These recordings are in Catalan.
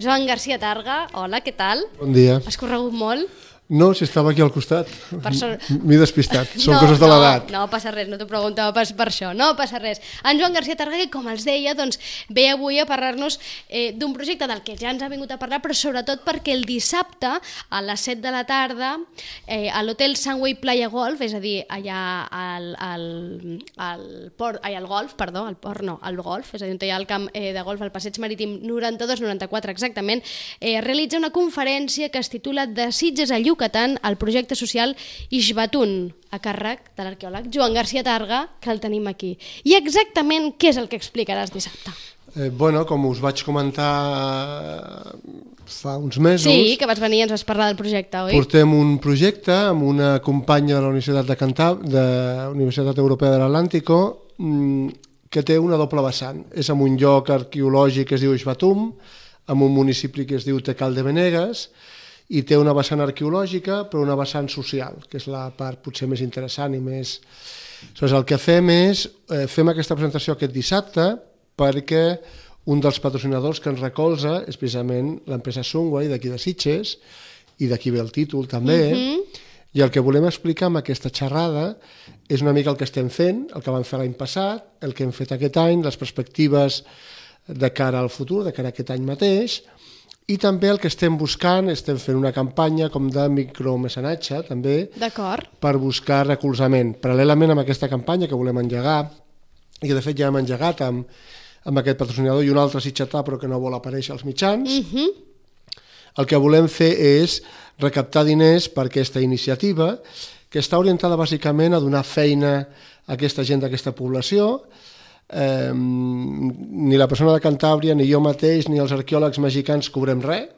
Joan Garcia Targa, hola, què tal? Bon dia. Has corregut molt? No, si estava aquí al costat. M'he despistat. Són coses de l'edat. No passa res, no t'ho preguntava pas per això. No passa res. En Joan Garcia Targa, que com els deia, doncs, ve avui a parlar-nos d'un projecte del que ja ens ha vingut a parlar, però sobretot perquè el dissabte, a les 7 de la tarda, a l'hotel Sunway Playa Golf, és a dir, allà al golf, és a dir, on hi ha el camp de golf, al passeig marítim 92-94 exactament, realitza una conferència que es titula De Sitges a Yucatán, el projecte social Ixbatún, a càrrec de l'arqueòleg Joan Garcia Targa, que el tenim aquí. I exactament què és el que explicaràs dissabte? Com us vaig comentar fa uns mesos... Sí, que vas venir i ens vas parlar del projecte, oi? Portem un projecte amb una companya de la Universitat Europea de l'Atlàntico que té una doble vessant. És en un lloc arqueològic que es diu Ixbatún, en un municipi que es diu Tecal de Venegas, i té una vessant arqueològica però una vessant social, que és la part potser més interessant i més... Aleshores, el que fem aquesta presentació aquest dissabte perquè un dels patrocinadors que ens recolza és precisament l'empresa Sunway d'aquí de Sitges, i d'aquí ve el títol també, i el que volem explicar amb aquesta xerrada és una mica el que estem fent, el que vam fer l'any passat, el que hem fet aquest any, les perspectives de cara al futur, de cara a aquest any mateix, i també el que estem buscant, estem fent una campanya com de micromecenatge també, per buscar recolzament. Paral·lelament amb aquesta campanya que volem engegar, i que de fet ja hem engegat amb aquest patrocinador i un altre sitgetà però que no vol aparèixer als mitjans, el que volem fer és recaptar diners per aquesta iniciativa que està orientada bàsicament a donar feina a aquesta gent d'aquesta població. Ni la persona de Cantàbria, ni jo mateix, ni els arqueòlegs mexicans cobrem res,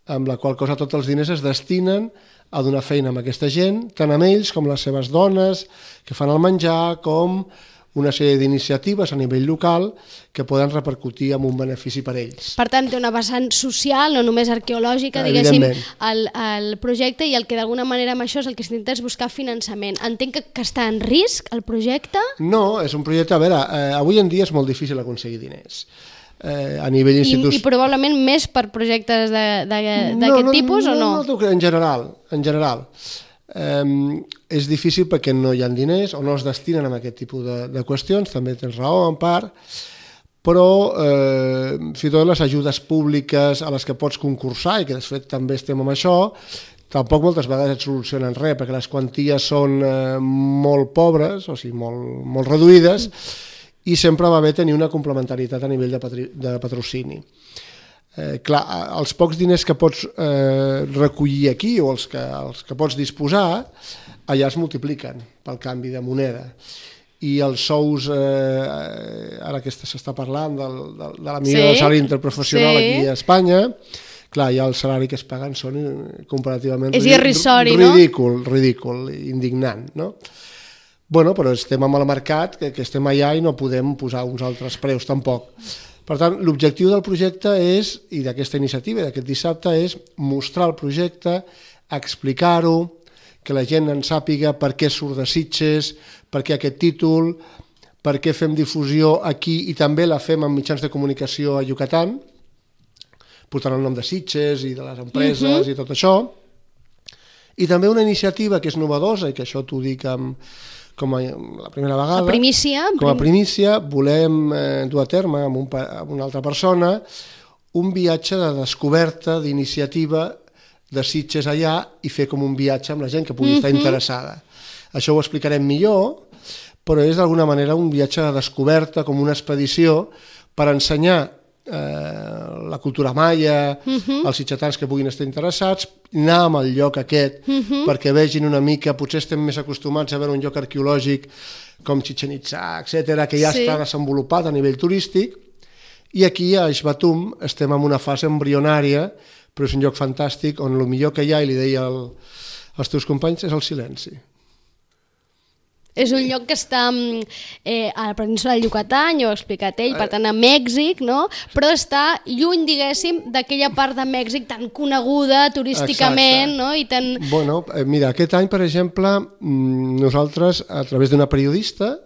amb la qual cosa tots els diners es destinen a donar feina amb aquesta gent, tant amb ells com les seves dones que fan el menjar, com una sèrie d'iniciatives a nivell local que poden repercutir en un benefici per ells. Per tant, té una vessant social, no només arqueològica, diguéssim, el projecte, i el que d'alguna manera amb això és el que s'intenta és buscar finançament. Entenc que està en risc el projecte? No, és un projecte, a veure, avui en dia és molt difícil aconseguir diners. A nivell institucional. I probablement més per projectes d'aquest tipus o no? No, en general. És difícil perquè no hi ha diners o no es destinen a aquest tipus de qüestions, també tens raó en part, però fins i tot les ajudes públiques a les que pots concursar, i que de fet també estem amb això, tampoc moltes vegades et solucionen res, perquè les quanties són molt pobres, o sigui, molt reduïdes, i sempre va bé tenir una complementarietat a nivell de patrocini. Clar, els pocs diners que pots recollir aquí o els que pots disposar allà es multipliquen pel canvi de moneda, i els sous ara que s'està parlant de la millora del salari interprofessional aquí a Espanya, clar, ja el salari que es paguen són comparativament ridícul, indignant, no? Bueno, però estem amb el mercat, que estem allà i no podem posar uns altres preus tampoc. Per tant, l'objectiu del projecte és, i d'aquesta iniciativa, d'aquest dissabte, és mostrar el projecte, explicar-ho, que la gent en sàpiga per què surt de Sitges, per què aquest títol, per què fem difusió aquí i també la fem en mitjans de comunicació a Yucatán, portant el nom de Sitges i de les empreses i tot això. I també una iniciativa que és novedosa, i que això t'ho dic com a la primera vegada, com a primícia, volem dur a terme amb una altra persona un viatge de descoberta, d'iniciativa de Sitges allà, i fer com un viatge amb la gent que pugui estar interessada. Això ho explicarem millor, però és d'alguna manera un viatge de descoberta, com una expedició, per ensenyar la cultura maia, els sitgetans que puguin estar interessats, anar al lloc aquest perquè vegin una mica, potser estem més acostumats a veure un lloc arqueològic com Chichén Itzá, etc., que ja està desenvolupat a nivell turístic, i aquí a Ixbatún estem en una fase embrionària, però és un lloc fantàstic on el millor que hi ha, i li deia als teus companys, és el silenci. És un lloc que està a la península del Yucatán, ja ho ha explicat ell, per tant a Mèxic, no? Però està lluny, diguéssim, d'aquella part de Mèxic tan coneguda turísticament, no? I tan... Bueno, mira, aquest any, per exemple, nosaltres, a través d'una periodista,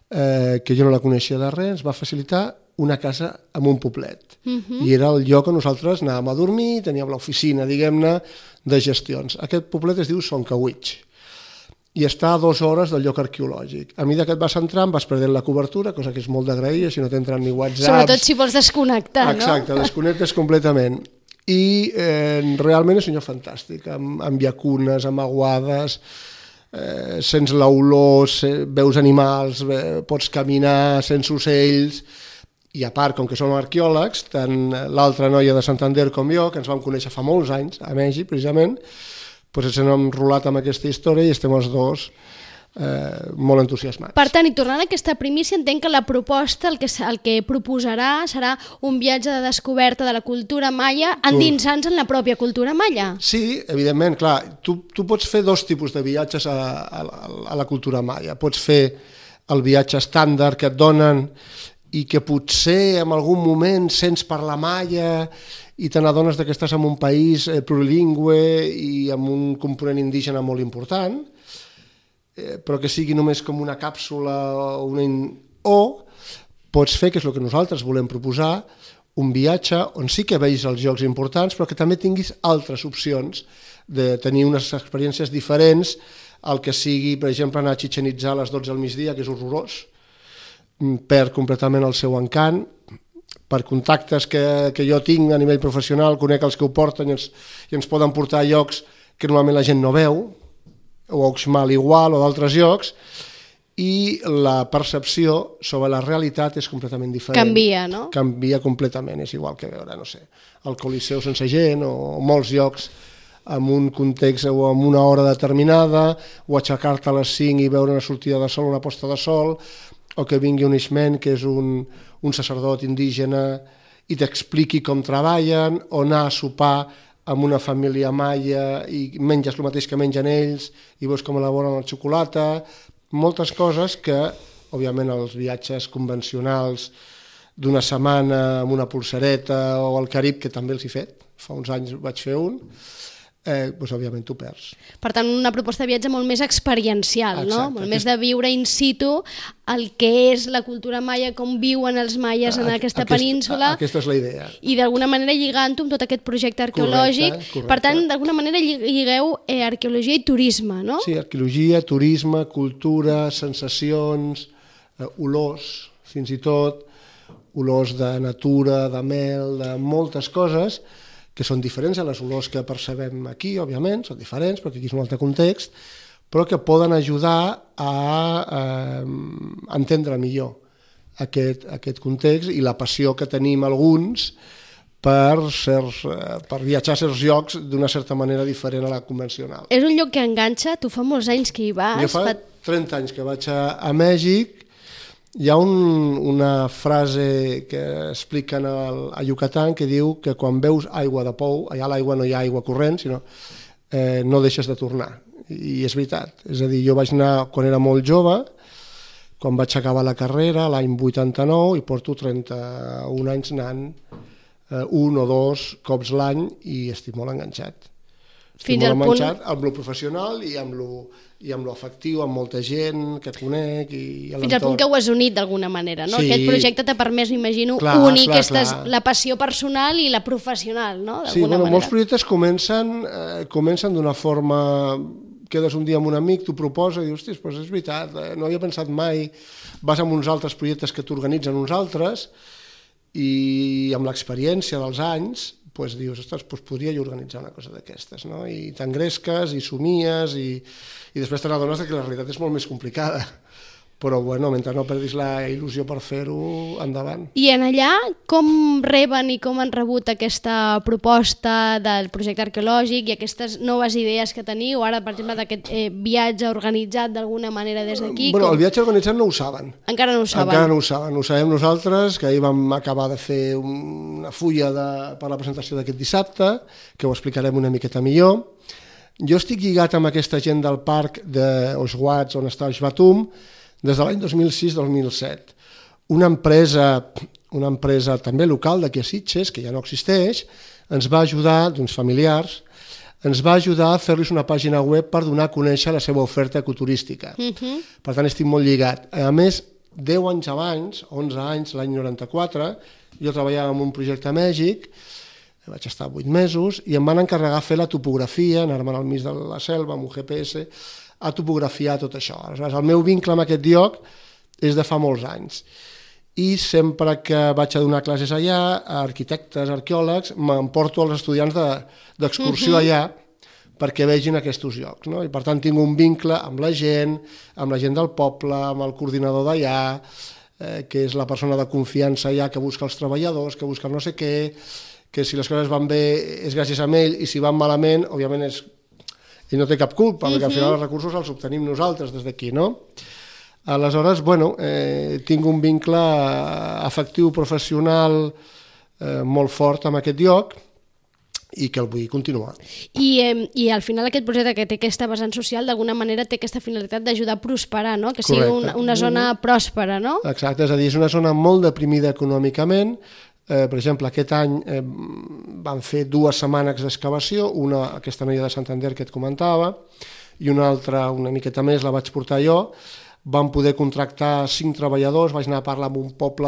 que jo no la coneixia de res, ens va facilitar una casa en un poblet. I era el lloc on nosaltres anàvem a dormir, teníem l'oficina, diguem-ne, de gestions. Aquest poblet es diu Soncawitx i està a 2 hores del lloc arqueològic. A mesura que et vas entrant vas perdent la cobertura, cosa que és molt d'agrair, si no t'entren ni WhatsApps... Sobretot si vols desconnectar, no? Exacte, desconnectes completament. I realment és un lloc fantàstic, amb llacunes, amb aguades, sents l'olor, veus animals, pots caminar, sents ocells, i a part, com que som arqueòlegs, tant l'altra noia de Santander com jo, que ens vam conèixer fa molts anys, a Mèxic precisament, doncs ens hem enrolat amb aquesta història i estem els dos molt entusiasmats. Per tant, i tornant a aquesta primícia, entenc que la proposta, el que proposarà serà un viatge de descoberta de la cultura maia endinsant-se en la pròpia cultura maia. Sí, evidentment, clar, tu pots fer 2 tipus de viatges a la cultura maia. Pots fer el viatge estàndard que et donen i que potser en algun moment sents parlar maia i te n'adones que estàs en un país plurilingüe i amb un component indígena molt important, però que sigui només com una càpsula o pots fer, que és el que nosaltres volem proposar, un viatge on sí que veis els llocs importants, però que també tinguis altres opcions de tenir unes experiències diferents al que sigui, per exemple, anar a Chichén Itzá a les 12 del migdia, que és horrorós, perd completament el seu encant. Per contactes que jo tinc a nivell professional, conec els que ho porten i ens poden portar a llocs que normalment la gent no veu, o a Uxmal igual, o d'altres llocs, i la percepció sobre la realitat és completament diferent. Canvia, no? Canvia completament, és igual que veure, no sé, el Coliseu sense gent, o molts llocs amb un context o amb una hora determinada, o aixecar-te a les 5 i veure una sortida de sol, una posta de sol, o que vingui un ixmen, que és un sacerdot indígena, i t'expliqui com treballen, o anar a sopar amb una família maia i menges el mateix que mengen ells, i veus com elaboren la xocolata, moltes coses que, òbviament, els viatges convencionals d'una setmana amb una polsereta o al Carib, que també els he fet, fa uns anys vaig fer un, doncs òbviament t'ho perds. Per tant, una proposta de viatge molt més experiencial, exacte, no? Molt més de viure in situ el que és la cultura maia, com viuen els maies en aquesta península. Aquesta és la idea. I d'alguna manera lligant-ho amb tot aquest projecte arqueològic. Correcte. Per tant, d'alguna manera lligueu arqueologia i turisme, no? Sí, arqueologia, turisme, cultura, sensacions, olors, fins i tot, olors de natura, de mel, de moltes coses, que són diferents a les olors que percebem aquí, òbviament, són diferents, perquè aquí és un altre context, però que poden ajudar a entendre millor aquest context i la passió que tenim alguns per viatjar a certs llocs d'una certa manera diferent a la convencional. És un lloc que enganxa? Tu fa molts anys que hi vas? Jo fa 30 anys que vaig a Mèxic. Hi ha una frase que expliquen a Yucatán que diu que quan veus aigua de pou, allà a l'aigua no hi ha aigua corrent, sinó no deixes de tornar. I és veritat. És a dir, jo vaig anar quan era molt jove, quan vaig acabar la carrera, l'any 89, i porto 31 anys anant 1 o 2 cops l'any i estic molt enganxat. Estic molt enganxat amb lo professional i amb lo afectiu, amb molta gent que et conec i a l'entorn. Fins al punt que ho has unit d'alguna manera, no? Sí. Aquest projecte t'ha permès, m'imagino, unir la passió personal i la professional, no? Sí, molts projectes comencen d'una forma... Quedes un dia amb un amic, t'ho proposa i dius, hòstia, doncs és veritat, no havia pensat mai, vas amb uns altres projectes que t'organitzen uns altres i amb l'experiència dels anys doncs dius, ostres, podria jo organitzar una cosa d'aquestes, no? I t'engresques i somies i després te n'adones que la realitat és molt més complicada. Però, bueno, mentre no perdis la il·lusió per fer-ho, endavant. I en allà, com reben i com han rebut aquesta proposta del projecte arqueològic i aquestes noves idees que teniu, ara, per exemple, d'aquest viatge organitzat d'alguna manera des d'aquí? Bueno, el viatge organitzat no ho saben. Encara no ho saben? Encara no ho saben. Ho sabem nosaltres, que ahir vam acabar de fer una fulla per la presentació d'aquest dissabte, que ho explicarem una miqueta millor. Jo estic lligat amb aquesta gent del parc d'Oswatch, on està Xbatum, des de l'any 2006-2007. Una empresa també local d'aquí a Sitges, que ja no existeix, ens va ajudar, d'uns familiars, ens va ajudar a fer-los una pàgina web per donar a conèixer la seva oferta ecoturística. Per tant, estic molt lligat. A més, 10 anys abans, 11 anys, l'any 94, jo treballava en un projecte a Mèxic, vaig estar 8 mesos, i em van encarregar fer la topografia, anar-me'n al mig de la selva amb un GPS, a topografiar tot això. Aleshores, el meu vincle amb aquest lloc és de fa molts anys. I sempre que vaig a donar classes allà, a arquitectes, arqueòlegs, m'emporto els estudiants d'excursió allà perquè vegin aquests llocs, no? I per tant tinc un vincle amb la gent del poble, amb el coordinador d'allà, que és la persona de confiança allà que busca els treballadors, que busca el no sé què, que si les coses van bé és gràcies a ell i si van malament, òbviament ell no té cap culpa, perquè al final els recursos els obtenim nosaltres des d'aquí, no? Aleshores, bueno, tinc un vincle afectiu, professional molt fort amb aquest lloc i que el vull continuar. I al final aquest projecte que té aquesta vessant social d'alguna manera té aquesta finalitat d'ajudar a prosperar, no? Que sigui una zona pròspera, no? Exacte, és a dir, és una zona molt deprimida econòmicament. Per exemple, aquest any van fer 2 setmanes d'excavació, una aquesta noia de Santander que et comentava, i una altra, una miqueta més, la vaig portar jo. Vam poder contractar 5 treballadors, vaig anar a parlar amb un poble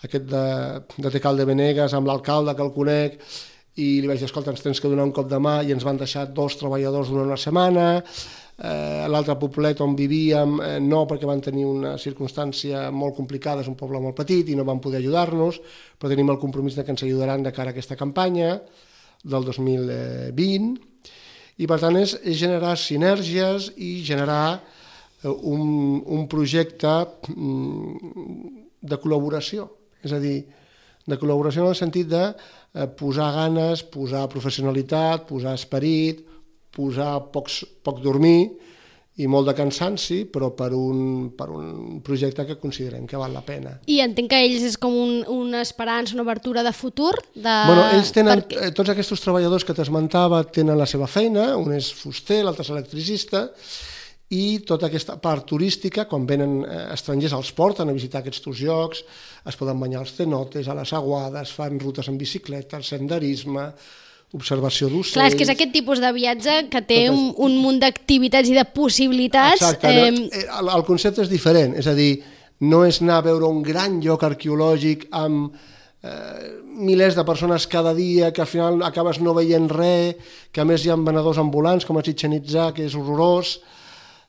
aquest de Tecal de Benegues, amb l'alcalde que el conec, i li vaig dir, escolta, ens tens que donar un cop de mà, i ens van deixar 2 treballadors durant una setmana. L'altre poblet on vivíem no, perquè van tenir una circumstància molt complicada, és un poble molt petit i no van poder ajudar-nos, però tenim el compromís que ens ajudaran de cara a aquesta campanya del 2020, i per tant és generar sinergies i generar un projecte de col·laboració, és a dir, de col·laboració en el sentit de posar ganes, posar professionalitat, posar esperit, posar poc dormir i molt de cansanci, però per un projecte que considerem que val la pena. I entenc que ells és com una esperança, una obertura de futur? Ells tenen, tots aquests treballadors que t'esmentava tenen la seva feina, un és fuster, l'altre és electricista, i tota aquesta part turística, quan venen estrangers els porten a visitar aquests llocs, es poden banyar als cenotes, a les aguades, fan rutes en bicicleta, senderisme, observació d'ocells... Clar, és que és aquest tipus de viatge que té un munt d'activitats i de possibilitats... Exacte, el concepte és diferent, és a dir, no és anar a veure un gran lloc arqueològic amb milers de persones cada dia, que al final acabes no veient res, que a més hi ha venedors ambulants, com a Chichén Itzá, que és horrorós,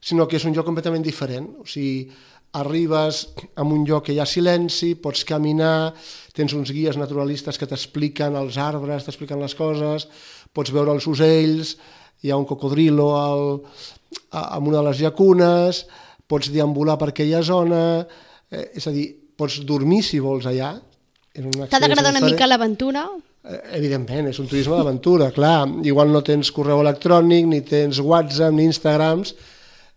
sinó que és un lloc completament diferent. O sigui, arribes a un lloc que hi ha silenci, pots caminar, tens uns guies naturalistes que t'expliquen els arbres, t'expliquen les coses, pots veure els ocells, hi ha un cocodrilo en una de les llacunes, pots deambular per aquella zona, és a dir, pots dormir si vols allà. T'ha d'agradar una mica l'aventura? Evidentment, és un turisme d'aventura, clar. Igual no tens correu electrònic, ni tens WhatsApp, ni Instagrams,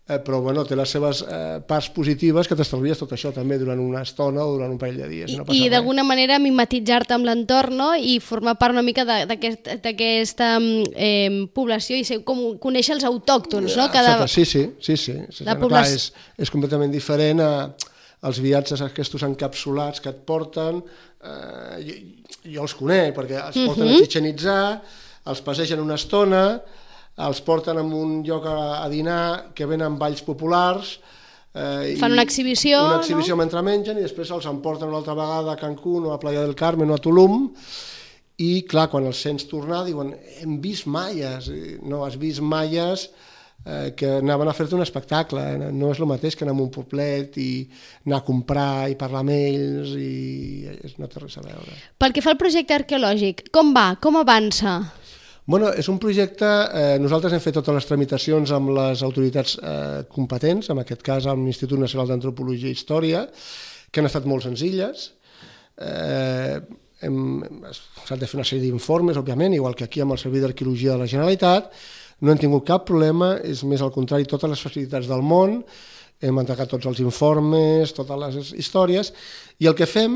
però bueno, té les seves parts positives que t'estalvies tot això també durant una estona o durant un parell de dies. I d'alguna manera mimetitzar-te amb l'entorn, no? I formar part una mica d'aquesta població i com conèixer els autòctons, no? Sí. Clar, és completament diferent als viatges aquests encapsulats que et porten. Jo els conec, perquè els porten a Chichén Itzá, els passegen una estona, els porten a un lloc a dinar que venen balls populars, fan una exhibició, no? Mentre mengen, i després els emporten una altra vegada a Cancún o a Playa del Carmen o a Tulum, i clar, quan els sents tornar diuen, hem vist maies. No, has vist maies que anaven a fer-te un espectacle, no és el mateix que anar a un poblet i anar a comprar i parlar amb ells, i no té res a veure. Pel que fa al projecte arqueològic, com va? Com avança? Bueno, és un projecte, nosaltres hem fet totes les tramitacions amb les autoritats competents, en aquest cas amb l'Institut Nacional d'Antropologia i Història, que han estat molt senzilles. S'han de fer una sèrie d'informes, òbviament, igual que aquí amb el Servei d'Arqueologia de la Generalitat. No hem tingut cap problema, és més al contrari, totes les facilitats del món, hem entregat tots els informes, totes les històries, i el que fem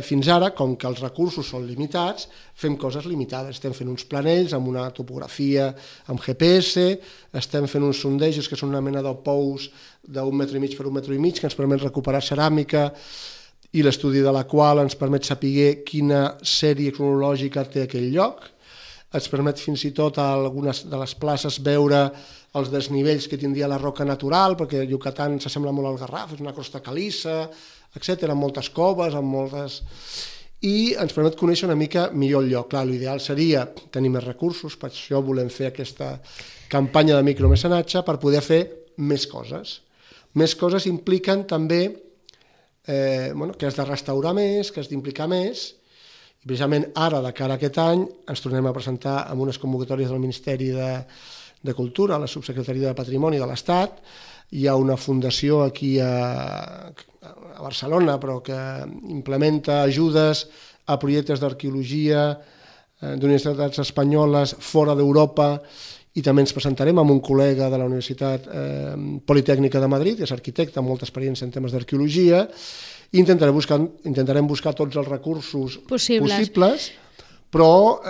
fins ara, com que els recursos són limitats, fem coses limitades. Estem fent uns planells amb una topografia amb GPS, estem fent uns sondejos que són una mena de pous d'1,5 metres per 1,5 metres que ens permet recuperar ceràmica, i l'estudi de la qual ens permet saber quina sèrie cronològica té aquell lloc. Ens permet fins i tot a algunes de les places veure els desnivells que tindria la roca natural, perquè Yucatán s'assembla molt al Garraf, és una crosta calissa, etc., amb moltes coves, i ens permet conèixer una mica millor el lloc. Clar, l'ideal seria tenir més recursos, per això volem fer aquesta campanya de micromecenatge per poder fer més coses. Més coses impliquen també que has de restaurar més, que has d'implicar més, i precisament ara, de cara a aquest any, ens tornem a presentar amb unes convocatòries del Ministeri de Cultura, a la Subsecretaria de Patrimoni de l'Estat. Hi ha una fundació aquí a Barcelona, però que implementa ajudes a projectes d'arqueologia d'universitats espanyoles fora d'Europa, i també ens presentarem amb un col·lega de la Universitat Politècnica de Madrid, que és arquitecte amb molta experiència en temes d'arqueologia, i intentarem buscar tots els recursos possibles, però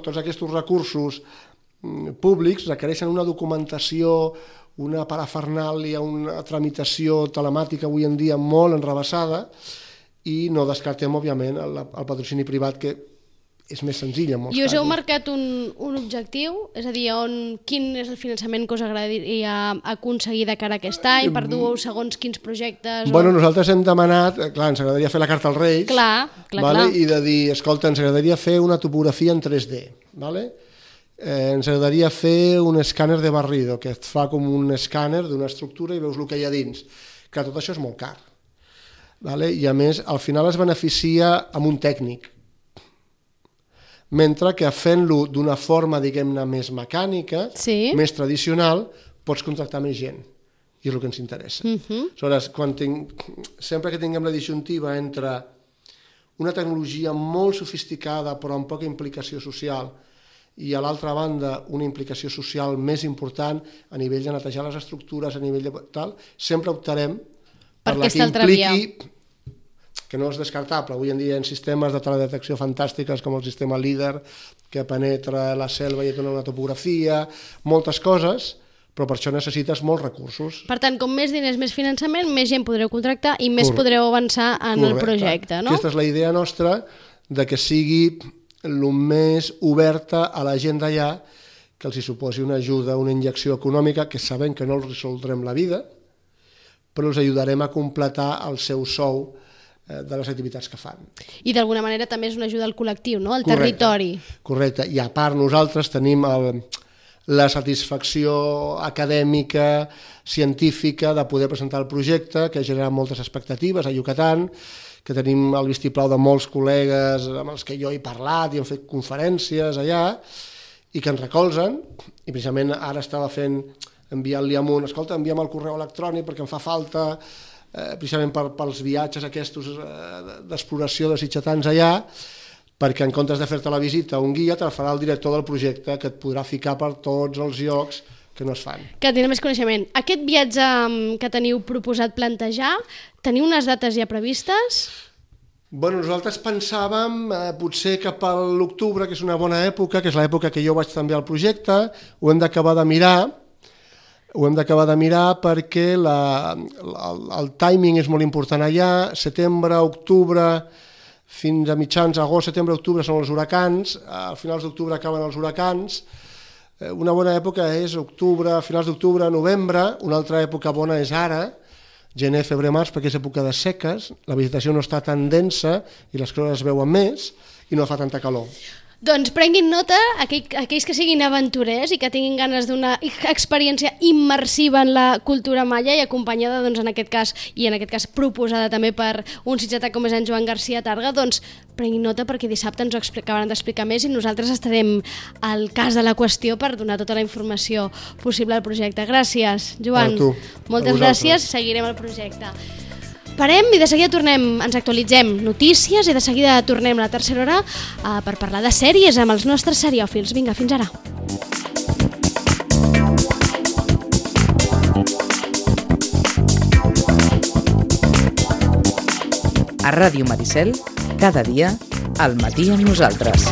tots aquests recursos públics requereixen una documentació, una parafernàlia, una tramitació telemàtica avui en dia molt enrevessada, i no descartem, òbviament, el patrocini privat, que és més senzill en molts casos. I us heu marcat un objectiu? És a dir, quin és el finançament que us agradaria aconseguir de cara a aquest any? Per dur segons quins projectes? Bueno, nosaltres hem demanat, clar, ens agradaria fer la carta als Reis, clar. I de dir, escolta, ens agradaria fer una topografia en 3D, vale? Ens agradaria fer un escàner de barrido, que et fa com un escàner d'una estructura i veus el que hi ha dins. Clar, tot això és molt car. I a més, al final es beneficia amb un tècnic, mentre que fent-lo d'una forma, diguem-ne, més mecànica, més tradicional, pots contractar més gent, i és el que ens interessa. Aleshores, sempre que tinguem la disjuntiva entre una tecnologia molt sofisticada però amb poca implicació social, i a l'altra banda una implicació social més important a nivell de netejar les estructures, a nivell de tal, sempre optarem per la que impliqui, que no és descartable. Avui en dia hi ha sistemes de teledetecció fantàstiques com el sistema LIDAR, que penetra la selva i et dona una topografia, moltes coses, però per això necessites molts recursos. Per tant, com més diners, més finançament, més gent podreu contractar i més podreu avançar en el projecte, no? Aquesta és la idea nostra, de que sigui el més oberta a la gent d'allà, que els hi suposi una ajuda, una injecció econòmica, que sabem que no els resoldrem la vida, però els ajudarem a completar el seu sou de les activitats que fan. I d'alguna manera també és una ajuda al col·lectiu, no? Al territori. Correcte. I a part nosaltres tenim la satisfacció acadèmica, científica, de poder presentar el projecte, que ha generat moltes expectatives a Yucatán, que tenim el vistiplau de molts col·legues amb els que jo he parlat i hem fet conferències allà, i que ens recolzen, i precisament ara estava enviant-li amunt, escolta, envia'm el correu electrònic perquè em fa falta, precisament pels viatges aquests d'exploració de sitgetans allà, perquè en comptes de fer-te la visita un guia, te la farà el director del projecte, que et podrà ficar per tots els llocs que no es fan. Que tindrà més coneixement. Aquest viatge que teniu proposat plantejar, teniu unes dates ja previstes? Bueno, nosaltres pensàvem potser cap a l'octubre, que és una bona època, que és l'època que jo vaig també al projecte, ho hem d'acabar de mirar, perquè el timing és molt important allà, setembre, octubre, fins a mitjans agost, setembre, octubre són els huracans, a finals d'octubre acaben els huracans. Una bona època és octubre, finals d'octubre, novembre. Una altra època bona és ara, gener, febrer, març, perquè és època de seques, la vegetació no està tan densa i les coses es veuen més i no fa tanta calor. Doncs prenguin nota, aquells que siguin aventurers i que tinguin ganes d'una experiència immersiva en la cultura maia i acompanyada, doncs, en aquest cas proposada també per un sitgetà com és en Joan Garcia Targa, doncs prenguin nota perquè dissabte ens ho acabaran d'explicar més i nosaltres estarem al cas de la qüestió per donar tota la informació possible al projecte. Gràcies, Joan. Moltes gràcies, seguirem el projecte. Parem i de seguida tornem, ens actualitzem notícies i de seguida tornem a la tercera hora per parlar de sèries amb els nostres seriòfils. Vinga, fins ara. A Ràdio Maricel, cada dia, al matí amb nosaltres.